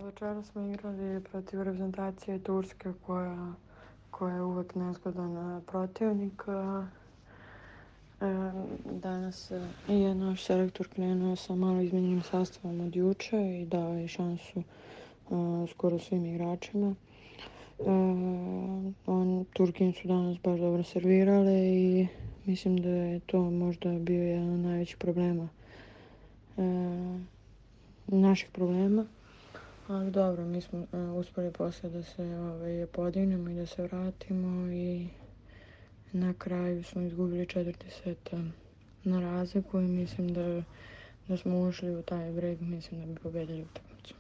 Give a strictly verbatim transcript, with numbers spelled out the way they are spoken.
Večeras smo igrali protiv reprezentacije Turske koja, koja je uvek nezgodan protivnik. Danas je naš selektor krenuo sa malo izmenjenim sastavom od juče i dao je šansu skoro svim igračima. On, Turkin su danas baš dobro servirale i mislim da je to možda bio jedan od najvećih problema, naših problema. Ali dobro, mi smo uh, uspeli posle da se ovaj, podignemo i da se vratimo i na kraju smo izgubili četvrti set na razliku i mislim da, da smo ušli u taj break, mislim da bi pobedili utakmicu.